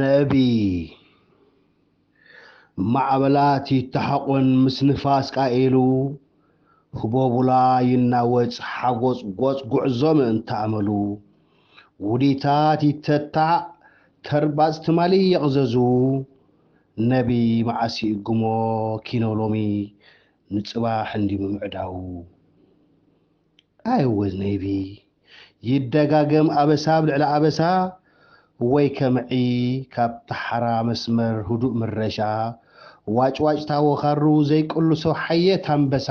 ነቢ። ማዕበላት ይተሓቆን ምስ ንፋስ ቃኤሉ፣ ህቦቡላ ይናወጽ ሓጎጽ ጎጽ ጉዕዞ ምእንቲ ኣመሉ። ውዲታት ይተታዕ ተርባጽ ትማሊ የቕዘዙ፣ ነቢ መዓስ ይእግሞ ኪኖ ሎሚ ንጽባሕ እንዲ ምምዕዳዉ። ኣይወ ነቢ፣ ይደጋገም ኣበሳ ኣብ ልዕሊ ኣበሳ፣ ወይ ከምዒ ካብ ተሓራ መስመር ህዱእ ምረሻ፣ ዋጭዋጭታ ወኻሩ ዘይቅልሶ ሓየት ኣንበሳ፣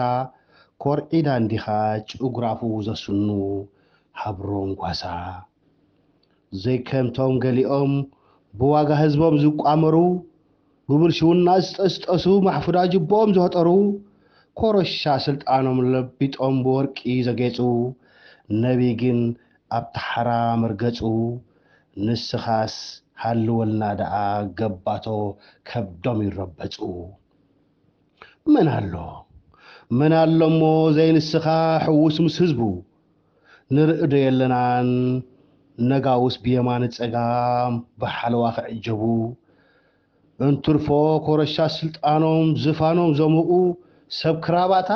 ኮርዒዳ እንዲኻ ጭጉራፉ ዘስኑ ሃብሮም ጓሳ። ዘይከምቶም ገሊኦም ብዋጋ ህዝቦም ዝቋመሩ፣ ብብልሽውና ዝጠስጠሱ ማሕፉዳ ጅቦኦም ዘህጠሩ፣ ኮረሻ ስልጣኖም ለቢጦም ብወርቂ ዘጌጹ፣ ነቢ ግን ኣብ ተሓራ መርገጹ፣ ንስኻስ ሃልወልና ደኣ ገባቶ ከብዶም ይረበጹ። መን ኣሎ፣ መን ኣሎ እሞ ዘይንስኻ ሕዉስ ምስ ህዝቡ? ንርኢ ዶ የለናን ነጋውስ ብየማነ ጸጋም ብሓለዋ ክዕጀቡ? እንትርፎ ኮረሻ ስልጣኖም ዝፋኖም ዘሙቑ ሰብ ክራባታ፣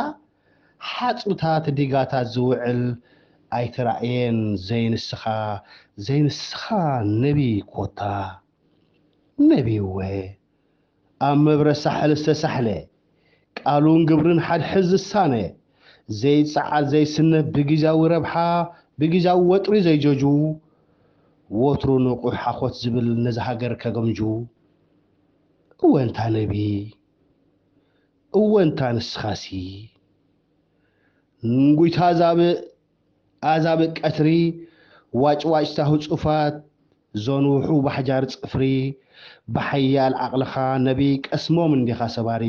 ሓጹታት ዲጋታት ዝውዕል ኣይተራእየን ዘይንስኻ፣ ዘይንስኻ ነቢ ኮታ። ነቢ'ወ ኣብ መብረ ሳሕል ዝተሳሕለ፣ ቃሉን ግብርን ሓድሕድ ዝሳነ፣ ዘይጸዓድ ዘይስነፍ ብግዝያዊ ረብሓ ብግዝያዊ ወጥሪ ዘይጀጁ፣ ወትሩ ንቑሕ ሓኾት ዝብል ነዚ ሃገር ከገምጁ። እወ እንታ ነቢ፣ እወ እንታ ንስኻሲ። ንጉይታ ዛብእ ኣዛብእ ቀትሪ፣ ዋጭዋጭታ ህጹፋት፣ ዘንውሑ ባሕጃር ጽፍሪ፣ ብሓያል ዓቕልኻ ነቢ ቀስሞም እንዲኻ ሰባሪ፣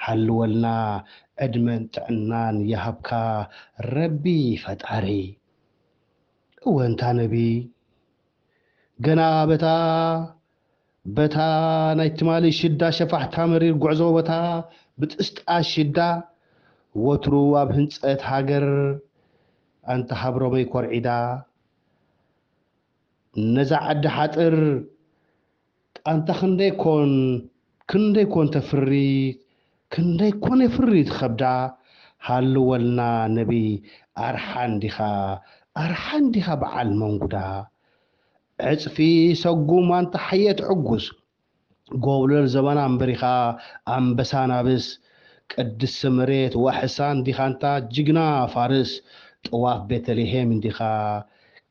ሃልወልና ዕድመን ጥዕናን ይሃብካ ረቢ ፈጣሪ። እወ እንታ ነቢ፣ ገና በታ፣ በታ ናይ ትማሊ ሽዳ ሸፋሕታ መሪር ጉዕዞ በታ ብጥስጣ ሽዳ፣ ወትሩ ኣብ ህንጸት ሃገር ኣንታ ሃብሮመይ ኮርዒዳ፣ ነዛ ዓዲ ሓጥር ኣንታ ክንደይ ኮን፣ ክንደይ ኮን ተፍሪ፣ ክንደይ ኮን የፍሪ ትኸብዳ፣ ሃልወልና ነቢ ኣርሓ እንዲኻ፣ ኣርሓ እንዲኻ በዓል መንጉዳ። ዕጽፊ ሰጉም ኣንታ ሓየት ዕጉስ፣ ጎብለል ዘበና እምበሪኻ ኣንበሳ ናብስ፣ ቅድስቲ መሬት ዋሕሳ እንዲኻ ኣንታ ጅግና ፋርስ፣ ጥዋፍ ቤተልሔም እንዲኻ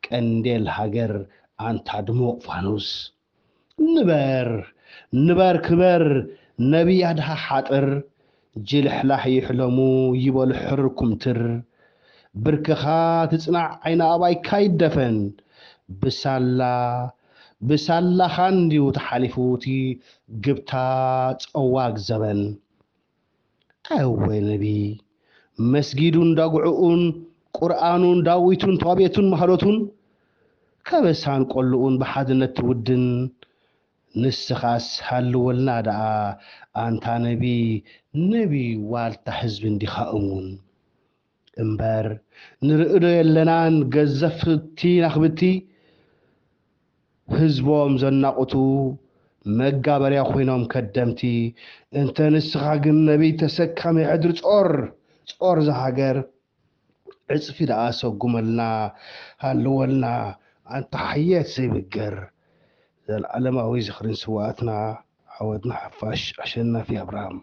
ቀንዴል ሃገር ኣንታ ድሙቕ ፋኑስ። ንበር፣ ንበር ክበር ነቢ ኣድሃ ሓጥር፣ ጅልሕላሕ ይሕለሙ ይበሉ ሕርር ኩምትር። ብርክኻ ትጽናዕ ዓይኒ ኣባይካ ይደፈን። ብሳላ፣ ብሳላኻ እንድዩ ተሓሊፉ እቲ ግብታ ጸዋግ ዘበን። ኣወ ነቢ፣ መስጊዱን ዳጉዕኡን፣ ቁርኣኑን ዳዊቱን ቷቤቱን ማህሎቱን፣ ከበሳን ቆልኡን ብሓድነት ትውድን፣ ንስኻስ ሃልወልና ደኣ ኣንታ ነቢ፣ ነቢ ዋልታ ህዝቢ እንዲኻ እሙን። እምበር ንርኢ ዶ የለናን ገዘፍቲ ናኽብቲ፣ ህዝቦም ዘናቑቱ መጋበርያ ኮይኖም ከደምቲ። እንተ ንስኻ ግን ነቢይ ተሰካሚ ሕድሪ ጾር፣ ጾር ዝሃገር፣ ዕጽፊ ደኣ ሰጉመልና ሃልወልና ኣንታ ሓየት ዘይብገር። ዘልዓለማዊ ዝኽርን ስውኣትና ዓወትና ሓፋሽ ኣሸናፊ ኣብርሃም።